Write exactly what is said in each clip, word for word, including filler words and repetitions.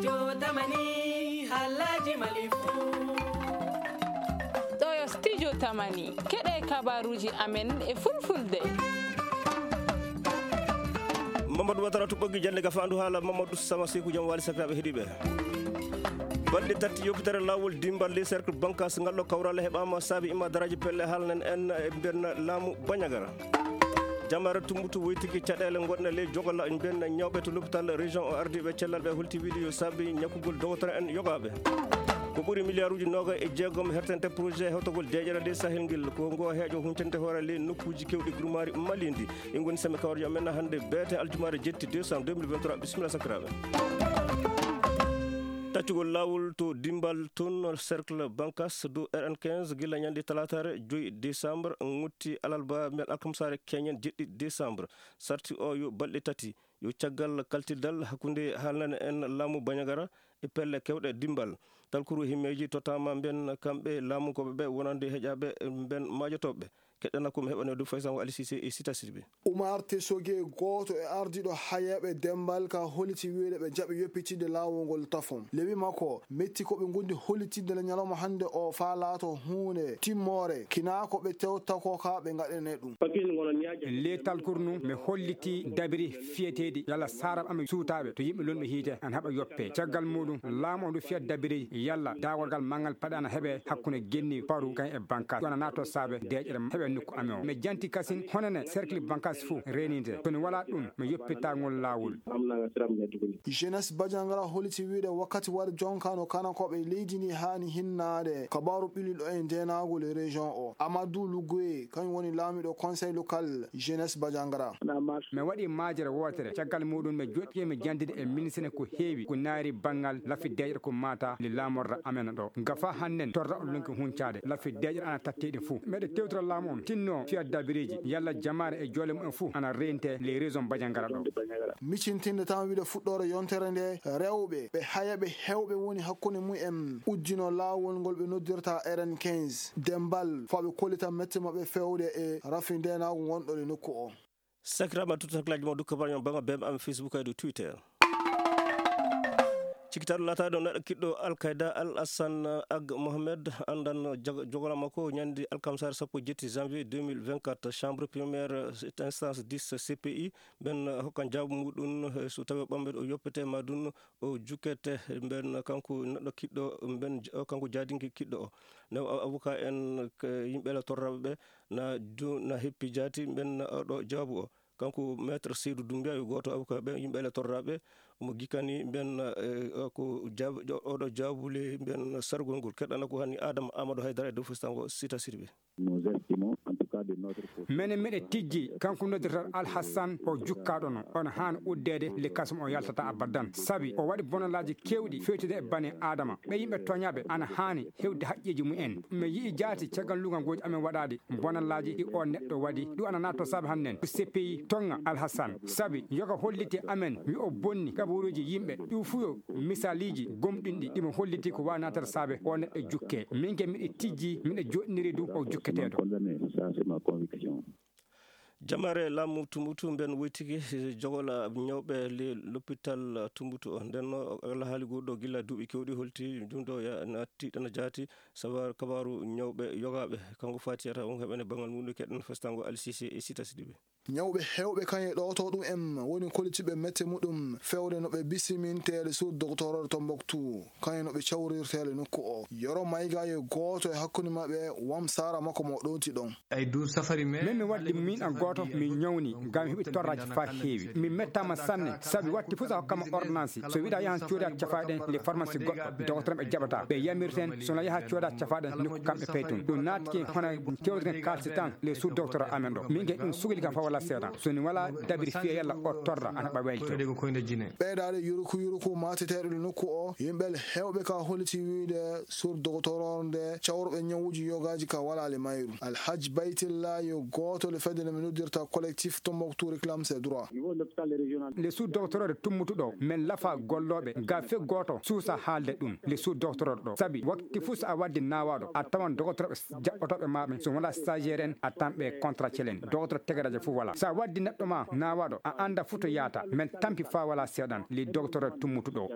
Yo tamani halaji malifu. Ɗo yo studio tamani, keɗe kabaruji amen e fulfulde. Mamadou Watara tuɓɓogi jannde gafaandu haala Mamadou Sama Seku jam wali sakiraaɓe heɗiiɓe. Balɗe tati yoppitere laawol dimbal le cercle bankas ngal ɗo kawral heɓaama saabi imma daraaji pelle haalnen en e mbenna laamu Bañagara. Jamare tumbutu woytiki caɗeele gonɗe ley jogola mbenna ñawɓe to l'hôpital région o ardiiɓe cellal ɓe holti wiide yo saabi ñakkugol dogotoro en yogaaɓe. Ko ɓuri milliard uji noga e jeegom hertante projet hewtagol deeƴere ley sahel ngel ko ngo heeƴo huncante hoore ley nokkuuji kewɗi gurmaari malindi. Ɗi ngoni sami kawrijo amen hannde beete aljumaare jetti décembre deux mille vingt-trois. Bisimilla sakiraaɓe. Taccugol laawol to dimbal toon cercle bankas dow R N quinze gila ñande talaataare joyi décembre ngotti alalba men alkamsaare keñen jeɗɗi décembre. Sarti o yo balɗe tati yo caggal kaltirdal hakkunde haalnane en laamu Bañagara e pelle kewɗe dimbal. Talkuru himmeeji tottama mben kamɓe laamu koɓe ɓe wonande heƴaɓe mben maajotooɓe. Keɗɗana ko mi heɓa newdu faysango Ali Cissé e Sita Sidibé. Umar Tesoge, gooto e ardiiɗo hayeeɓe Dembal, ka holliti wiide ɓe jaɓi yoppitidde laawol ngol tafon. Lewi makko metti ko ɓe ngondi hollitidde le ñalawma hannde o faa laato huunde timmoore, kinaa ko ɓe tewta ko ka ɓe ngaɗane ɗum. Leetal kurnu mi holliti dabiri fiyeteeɗi yalla saarab amen suutaaɓe to yimɓe lonɓe hiite an haɓa yoppe. Caggal muɗum laamu o ndu fiya dabiri yalla daawol ngal manngal paɗe ana heɓe hakkunde genni paru kan e bankas. Ɗon a naato saabe deeƴere heɓe nokku amen o. Mi janti kasin honene cercle bankas fuu reeninte. To ni walaa ɗum mi yoppitagol laawol. Jeunesse Badiangara holliti wiide wakkati wari jonka no kanakooɓe leydi ndi haani hinnaade. Kabaaru ɓilliɗo e ndeenaagol e région o. Amadou Lougoye, kañum woni laamiiɗo conseil local jeunesse Badiangara. Mi waɗi maajere wootere. Caggal muɗum mi joɗɗi mi jandide e ministre ko heewi ko naari banngal lafi deeƴre ko mata li laamorra amen ɗo. Gafa hannen torra on lonki huncaade. Lafi deeƴre ana tatteɗi fuu. Meɗe tewtora laamu on tinno fiya dabireji. Yalla jamaare e joole mumen fuu ana rente les régions Badiangara ɗo. Micintinde tan wiide fuɗɗoore yontere nde rewɓe ɓe haya ɓe hewɓe woni hakkunde mumen uddino laawol ngol ɓe noddirta R N quinze. Dembal faa ɓe kollita mette maɓɓe fewde e rafi ndeenaagu ngonɗo e nokku o. Sakiraaɓe, tuttu hakkillaaji mon, dukka barañon bama bem am Facebook e dow Twitter. Cikitaaɗo laataaɗo neɗɗo kiɗɗo Al Qaeda, Al Hassan Ag Mohamed, anndan jog-, jogora makko ñande alkamsaare sappo e jetti janvier deux mille vingt-quatre, chambre première instance dix C P I, ɓen hokkan jaabu muɗum, eh, so tawi o ɓamɓe o yoppete ma ɗum o jukkete, ɓen kanko neɗɗo kiɗɗo, ɓen j-, kanko jaadinki kiɗɗo o. Ne o avocat en, k-, yimɓe la torraɓe ɓe, na du-, na heppi jaati ɓen oɗo jaabu o. Kanko Maître Seydou Doumbia yo gooto avocat ɓe yimɓe le torraɓe mo gikkani ɓen, eh, ko jaab-, oɗo jaabule ɓen sargol ngol. Keɗɗana ko hani Adama Amadou Haydara e dow fustango Sita Sirɓe. Nous estimons, en tout cas de notre côté. Menen miɗe tijji kanko noddirta Al Hassan o jukkaɗo no on haani uddeede le kasum o yaltata abadan sabi o waɗi bonalaaji kewɗi fewtude e bani Adama ɓe yimɓe toñaɓe ana haani hewde haqqeeji mumen. Mi yi'i jaati caggal lugal gooji amen waɗaade bonallaaji ɗi o neɗɗo waɗi. Ɗum ana naatto saabe hannden ko C P I toŋŋa Alhasan sabi yoga holliti amen yo o bonni kabaruuji yimɓe. Ɗum fuu yo misaliiji gomɗinɗi ɗimo holliti ko waawi naatata saabe o neɗɗo jukke. Min ke miɗo tijji miɗo joɗɗiniri ɗum o jukketeeɗo. Jamare laamu Tumbutu mben woytiki jogola ñawɓe le lopital Tumbutu o. Nden no Allah haali goɗɗo gilla duuɓi kewɗi holti ɗum ɗo ya naatti ɗana jaati sabar kabaru ñawɓe yogaaɓe. Kanko Fatiyata on heɓene bangal muɗum keɗen festango Alsise e Sita Sidibe. Ñawɓe heewɓe kañe ɗo to ɗum en woni kollitiɓe mette muɗum fewde no ɓe bisiminteede sur doctoror Tombouctou. Kañum no ɓe cawrirteele nokku o. Yoro Mayga yo gooto e hakkunde maɓɓe wam sara makko mo ɗowti ɗon. Ay du safari me. Min mi waddi min an gooto mi ñawni ngam heɓi torraji fa heewi. Mi mettama sanne sabi watti fof sa hokkama ordonnance. So wiɗa yahan cooda cafaɗen le pharmacie goɗɗo. Docteur ɓe jaɓata. Ɓe yamirten sona yaha cooda cafaɗen nokku kamɓe peytun. Ɗum naatike hono kewten kalsi tan le sous docteur amen ɗo. Min ge ɗum sugli kam fa wala seeɗa. So ni wala dabiri fiya yalla o torra ana ɓa welto. Ɓeydaade yuruku yuruku mateteeɗo le nokku o, yimɓe le heewɓe ka holiti wiide sur doctoror nde cawruɓe ñawuji yogaaji ka walaali mayru. Alhaji Baytilla yo gooto le fedde nde mi noddirta collectif Tombouctou réclame ses droits. Le sous doctoror tummutuɗo men lafa gollooɓe ga fe gooto suusa haalde ɗum. Le sous doctoror ɗo sabi wakti fuu so a waddi naawaaɗo a tawan doctorɓe jaɓɓotooɓe ma ɓen so wonaa stagiaire en a tan ɓe contractuel en docteur tegaraje fof. Sa waddi neɗɗo ma nawaɗo, a anda futo yata. Men tampi fa wala seɗan, li docteur tummutuɗo.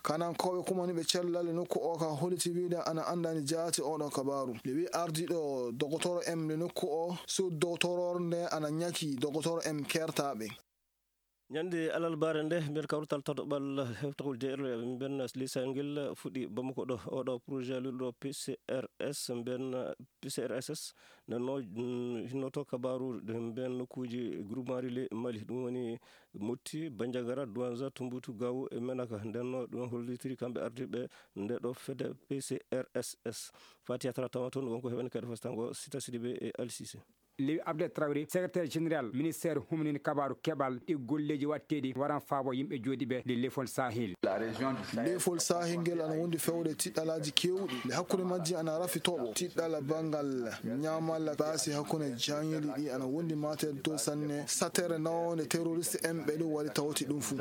Kanankooɓe kumaniiɓe cellal e nokku o ka holliti wiide ana anndani jaati oɗo kabaaru. Nde wi ardiiɗo dogotoro em nde nokku o, sud dogotoro nde ana ñaki dogotoro em kertaaɓe. Ñande alarbaare nde, nder kawrital tataɓal hewtagol D R L, mben lisayel ngel fuɗɗi Bamako ɗo. Oɗo projet lulɗo P C R S, mben P C R S S, nden no, mm, hinnoto kabaaru mben nokkuuji groupement relais Mali, ɗum woni Motti, Bandiagara, Douanza, Tombouctou, Gao e Menaka. Nden no ɗum hollitiri kamɓe ardiiɓe nde ɗo fedde P C R S S. Fati Yatara tawama toon, wonko heɓani kadi fastango Sita Sidibé e Al Cissé. Lewi Abdel Traoré, secrétaire général ministère humanini kabaaru keɓal ɗi golleeji waɗteeɗi waran faabo yimɓe jooɗiiɓe ɗi lefol Sahel. Lefol Sahel ngel ana wondi fewde tiɗɗalaaji keewɗi. Nde hakkunde majji ana rafi toɓo. Tiɗɗal banngal ñaamalla baasi hakkunde jaŋyeli ɗi ana wondi mateede to sanne. Satere nawonde terroriste en ɓe ɗum waɗi tawti ɗum fuu.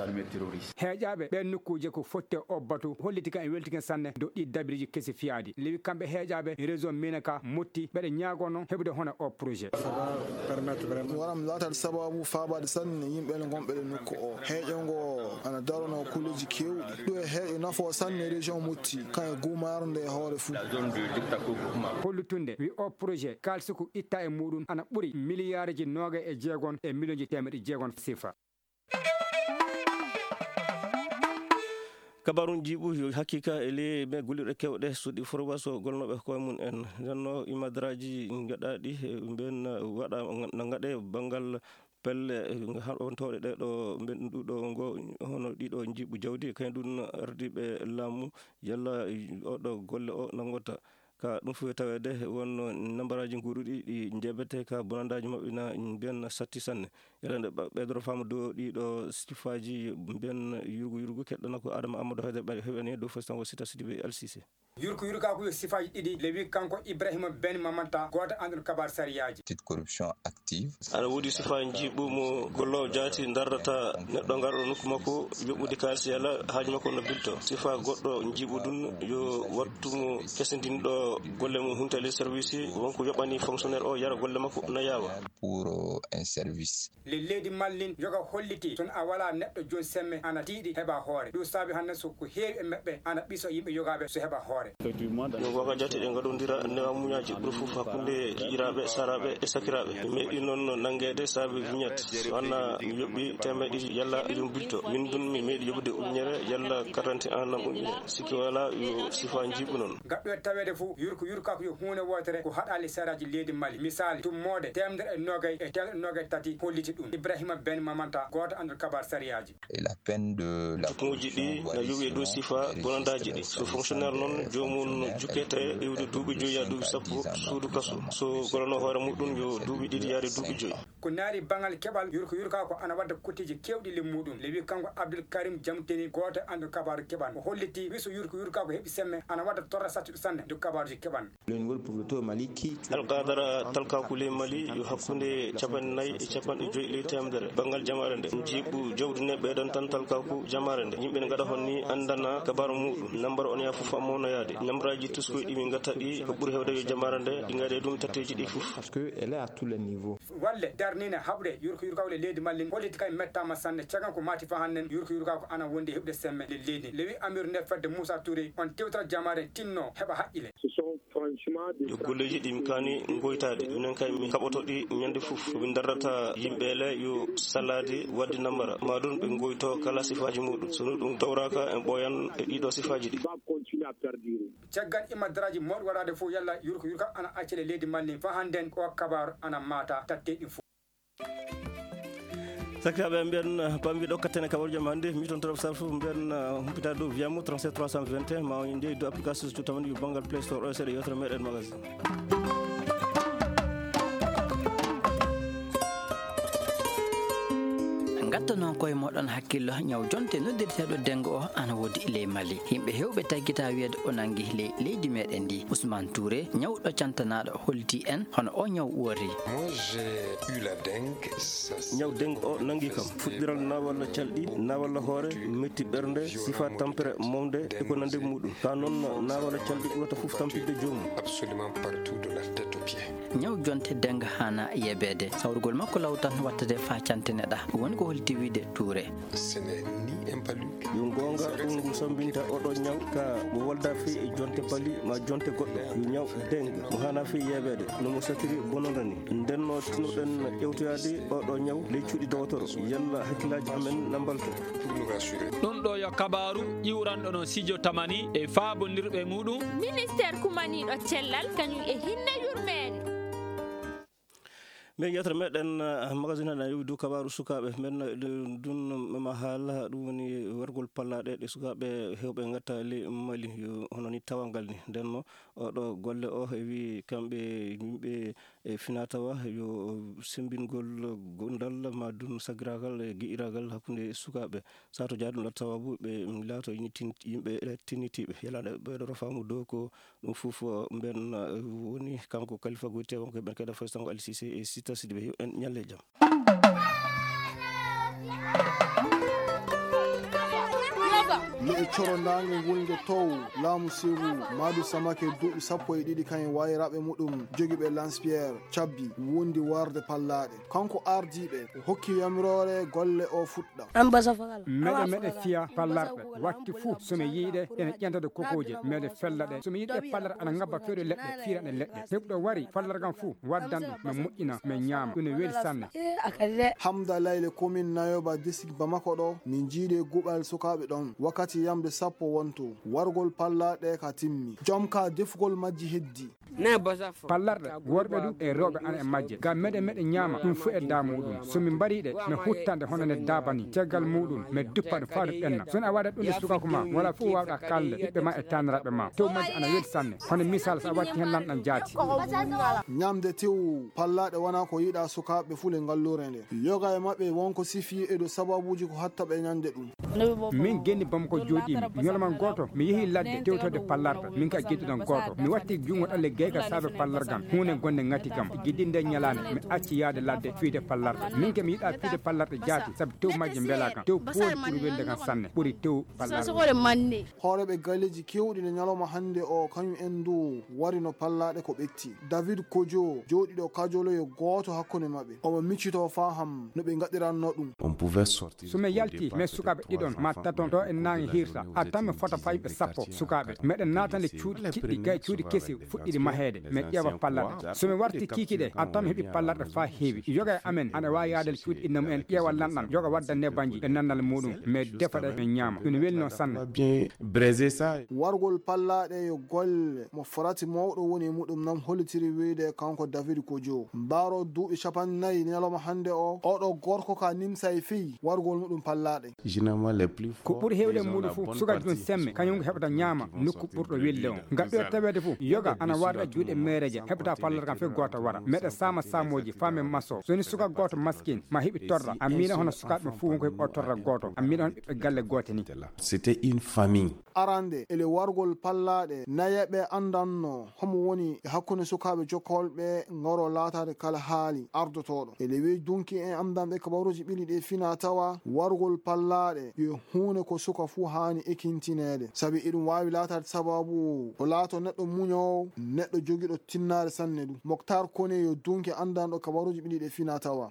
Heeƴaaɓe ɓeen nokkuuje ko fotte o batu holliti kan e weltiken sanne dow ɗi dabiriji kesi fiyaadi. Lewi kamɓe heeƴaaɓe réseau Menaka Motti ɓeɗe ñaagono heɓude hono o projet. Waram laatal sababu faabaade sanne yimɓe gonɓe ɗe nokku o. Heeƴo ngo ana darono kulleji keewɗi. Ɗum e heeƴo nafo sanne région Motti, kan e gumaaro nde e hoore fuu. Hollutunde wi o projet kaalisi ko itta e muɗum ana ɓuri miliyaariji noogay e jeegon e miliyonji teemeɗe jeegon sifa. Kabaarun jiiɓu yo hakkika e ley ɓe gollirɗe kewɗe suuɗi forwaso golnooɓe koye mum en. Ndenno imadraji gaɗaɗi, eh, ɓen waɗa na gaɗe banngal pelle, eh, haɓantooɗe ɗe ɗo mben ɗuɗo ngo, hono ɗiɗo jiiɓu jawdi, kañum ɗum ardiiɓe laamu, yalla oɗo golle o nanngota. Ka ɗum fof taweede wonno nambaraaji nguuruɗi ɗi njeebete ka bonandaaji maɓɓe na mbiyan satti sanne. Yalla nde ɓe-, ɓeydoro faamu dow ɗiɗo sifaaji mbiyan yurgu yurgu keɗɗana ko Adama Amadou Haydara ɓe heɓani dow fos tan o Sita Sidibé L C C. Yurku yurkaaku yo sifaaji ɗiɗi le wi kanko Ibrahima Ben Mamanta gooto anndon kabaar sariyaaji. Petite corruption active. Aɗa woodi sifaa njiiɓu mo golloowo jaati ndardata neɗɗo ngarɗo nokku makko yoɓude kaalis yalla haaju makko no bilto. Sifaa goɗɗo njiiɓu ɗum yo wattu mo kesindinɗo golle mum huntali service wonko yoɓani fonctionnaire o yara golle makko na yaawa. Pour, euh, un service. Le leydi Mallin yoga holliti toon a wala neɗɗo jooni semme ana tiiɗi heɓa hoore. Ɗum saabi hannde so ko heewi e maɓɓe ana ɓiso yimɓe yogaaɓe so heɓa hoore. No waga jate ɗe ngaɗondira newa muñaaji ɓuri fof hakkunde giƴiraaɓe, saraaɓe e sakiraaɓe. Mi meeɗi noon nanngeede saabe vignette. So anna mi yoɓi teemeɗe ɗiɗi yalla ɗum bilto. Min ɗum mi meeɗi yoɓude ujunere yalla quarante ans nam ujunere. Sikki wala yo sifa njiiɓu noon. Gaɗɗo e taweede fof yurko yurkako yo huunde wootere ko haɗaali saraaji leydi Mali. Misaali, tummoode teemedere e noogay e teemedere e noogay tati holliti ɗum. Ibrahima Ben Mamanta, gooto anndal kabaar sariyaaji. Et la peine de la Jukkuuji ɗi na yowi e dow sifa bonandaaji ɗi. So fonctionnaire noon, joomum jukkete e iwde duuɓi joyi yaa duuɓi sappo suudu kaso. So golano hoore muɗum, yo duuɓi ɗiɗi yaade duuɓi joyi. Ko naari baŋal keɓal yurko yurka ko ana wadda kutteeji keewɗi le muɗum. Le wi kanko Abdul Karim Jamteni, gooto anndal kabaaru keɓal. O holliti wi so yurko yurka ko heɓi semme, ana wadda torra sattuɗo sanne ndu kabaaruji keɓal. Alkadara talkaku ley Mali yo hakkunde capanɗe nayi e capanɗe joyi ley teemedere. Banngal jamaare nde, jiiɓu jawdi ne ɓeydan tan talkaku jamaare nde. Yimɓe ne ngaɗa hon ni anndana kabaru muɗum. Nambar on yaa fof ammono yaade. Nambaraaji tuskoy ɗi min ngatta ɗi ko ɓuri hewde yo jamaare nde, ɗi ngaɗe ɗum tatteeji ɗi fof. Parce que elle est à tous les niveaux. Walle darnine haɓre yurko yurkawle leydi Mali holliti kay mettama sanne cagan ko mati fa hannden yurko yurka ko ana wondi heɓde semme le leydi. Le wi Amir nde fedde Moussa Touré on tewtata jamaare tinno heɓa haqqile. Ce sont franchement des Yo golleeji ɗi mi kaani ngoytaade. Minen kay mi kaɓoto ɗi ñande fof. Ko min darrata yimɓe le yo salaade wadde nambara. Ma ɗum ɓe ngoyto kala sifaaji muɗum. So ɗum tawraaka en ɓooyan e ɗiɗo sifaaji ɗi. Va continuer à perdurer. Caggal imadraji mawɗi waɗaade fof yalla yurko yurka ana accele leydi Mali fa hannden o kabar ana mata tatte ɗi fof. Sakiraaɓe mbiyan pambiɗo kattene kaɓorjo ma hannde mi toon torop sar fof mbiyan humpita dow viyamo trente-sept trois cent vingt et un ma on jeeyi dow application so tawani yo banngal Play Store o seeɗa yewtere meɗen magazine. Ngatta noon koye moɗon hakkillo ñaw jonte noddirteeɗo dengo o ana woodi ley Mali. Yimɓe heewɓe taggita wiyeede o nangi ley leydi meɗen ndi. Ousmane Touré, ñawɗo cantanaaɗo, holliti en hono o ñaw woori. Moi, j'ai eu la dengue. Ñaw dengue o nangi kam. Fuɗɗiral nawalla calɗi, nawalla hoore, metti ɓernde, sifa tampere momde e ko nande muɗum. Ka noon nawalla calɗi ɓurata fof tampinde joomum. Absolument partout de la tête. Ñaw jonte denga hana yebeede. Sawrugol makko law tan wattade faa cantine ɗa. Woni ko holti wiide Touré. Yo goonga, ɗum ngu sambinta oɗo ñaw ka mo wolda fii e jonte pali ma jonte goɗɗo. Yo ñaw denga mo hana fii yebeede no mo satiri bononda ni. Nden no tinoɗen ƴewtoyaade oɗo ñaw ley cuuɗi dowotoro. Yalla hakkillaaji amen na mbalto. Ɗum ɗo yo kabaaru ƴiwranɗo no Sijo Tamani e faabondirɓe muɗum. Ministeer kumaniiɗo cellal kañum e hinne yurmeende. Mbiyen yewtere meɗen, ah, magazine aɗa yowi dow kabaaru sukaaɓe men, eh, ɗum ma haala, ɗum woni wargol pallaaɗe ɗe sukaaɓe heewɓe ngatta ley Mali, yo hono ni tawangal ni. Nden no oɗo golle o e wi kamɓe yimɓe e finatawa yo sembingol gondal ma dun sagiragal e gi'iragal hakkunde sukaaɓe. Sato jaaɗum latta sababu ɓe laato yimɓe tinnitiiɓe. Yalaɗe ɓeɗo rofamu dow ko ɗum fof, eh, mben, eh, woni kanko Kalifa Goyte, wonko ɓen kadi Faye Sango Ali Cissé e Sita Sidibé. Yo en ñalle jam. Le'e corondaange ngulnge tow laamu Sewu, Maadu Samake duuɓi sappo e ɗiɗi kañum wayraɓe muɗum jogiiɓe Lance Pierre cabbi wondi warde pallaaɗe. Kanko ardiiɓe o hokki yamiroore golle o fuɗɗa. Meɗe meɗe fiya pallarɗe wakti fuu so mi yiiɗe ene ƴentade kokooje meɗe fella ɗe so mi yiiɗe pallarɗe ana ngabba fewde leɗɗe fiiraɗe leɗɗe heɓɗo wari pallargam fuu waddan ɗum mi moƴƴina mi ñaama ɗum ne weli sanne. Hamda Layle commune Nayoba district Bamako ɗo min jiiɗe guɓal sukaaɓe ɗon wakkati yamde sappo wonto wargol pallaɗe ka timmi jom ka defugol majji heddi. Pallarɗe worɓe du e rewɓe ana e majje ngam meɗe meɗe ñaama ɗum fuu e da muɗum so min mbariɗe mi huttande hono nde dabani caggal muɗum mi duppa ɗum faa ɗum ɓenna so a waɗat ɗum e sukaku ma wala fof wawɗa kalde ɓiɓɓe ma e taniraɓe ma tew majje ana weli sanne hono misal so a watti hen lanɗan jaati. Ñamde tew pallaɗe wona ko yiɗa sukaaɓe fule ngallure nde yoga e maɓɓe wonko sifi e do sababuji ko hatta ɓe ñande ɗum. Min genni bamako joɗimi ñolman goto mi yeehi ladde tewtode pallarɗe min ka geddiɗan goto mi watti jungo ɗalle gayka saabe pallargam hunde gonde ngati kam giddi nde ñalande mi acci yaade ladde fiide pallarɗe min ke mi yiɗa fiide pallarɗe jaati saabu tew majje mbelakam tew pooli ɓuri welde kam sanne ɓuri tew pallarɗe. Hooreɓe galleji kewɗi ne ñalawma hande o kañum en du warino pallaɗe ko ɓetti david kojo joɗiɗo kajolo yo goto hakkunde maɓɓe omo miccito faham no ɓe gaɗiranno ɗum. So mi yalti, mi sukaɓe ɗiɗon ma taton to e nange hirsa, a tan mi fota fayɓe sappo sukaɓe. Meɗen natande cuuɗi kiɗɗi gay cuuɗi kesi fuɗɗiɗi maheede, mi ƴeewa pallaɗe. So mi warti kiiki ɗe, a tan mi heɓi pallaɗe fa heewi. Yoga e amen ana wawi yaade cuuɗi inna mumen ƴeewa lanɗan, yoga wadda nebanji e nannal muɗum, mi defa ɗe mi ñaama. Ɗum welno sanne. Wargol pallaɗe yo golle mo farati mawɗo woni e muɗum nam hollitiri wiyde kanko David Kojo. Mbaaro duuɓi capanɗe nayi ñalawma hannde o, oɗo gorko ka nimsa e fii wargol muɗum pallaɗe. Ko ɓuri heewde e muuɗum fof, suka jom semme, kañum ko heɓata ñaama nokku ɓurɗo welde on. Ngaɗɗo e taweede fof, yoga ana warda juuɗe meereeje, heɓata pallargal fof gooto wara. Meɗa saama saamooji, faa men masoo. So ni suka gooto maskin, ma heɓi torra, a miina hono sukaaɓe fof wonko heɓi o torra gooto, a miina hono ɓiɓɓe galle goote ni. C'était une famille. Arande, ele wargol pallaɗe, nayeɓe andanno homo woni e hakkunde sukaaɓe jokkolɓe ngaro laataade kala haali ardotooɗo. Ele wey dunki en amdanɓe kabaruuji ɓili ɗe fina tawa wargol pallaɗe yo huunde ko suka fuu haani ekintineede. Sabi eɗum waawi laataade sababu o laato neɗɗo muñoowo, neɗɗo jogiiɗo tinnaare sanne ɗum. Moktar Kone yo dunki andanɗo kabaruuji ɓili ɗe fina tawa.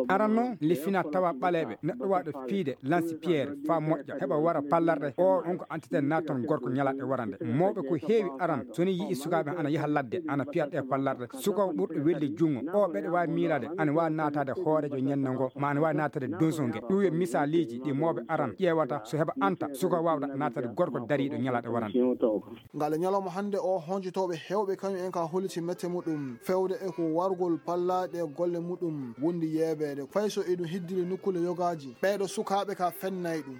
Aran noon, le fina tawa ɓaleeɓe, neɗɗo waaɗo fiide, lansi pierre, faa moƴƴa, heɓa wara pallarɗe, o on ko entité naton gorko ñalaɗe warande. Mawɓe ko heewi aran, so ni yi'i sukaaɓe ana yaha ladde, ana piya ɗe pallarɗe. Suka ɓurɗo welde junngo, o ɓeɗe waawi miilaade, ana waawi naataade hooreejo ñande ngo, ma ana waawi naataade donso nge. Ɗum yo misaaliji ɗi mawɓe aran ƴeewata, so heɓa anta, suka waawɗa naataade gorko dariiɗo ñalaɗe warande. Ngal e ñalawma hannde o, honjotooɓe heewɓe kañum en ka holliti mette muɗum fewde e ko wargol pallaɗe golle muɗum wondi yeebeede. Fay so eɗum heddiri nokkuule yogaaji, ɓeeɗo sukaaɓe ka fennay ɗum.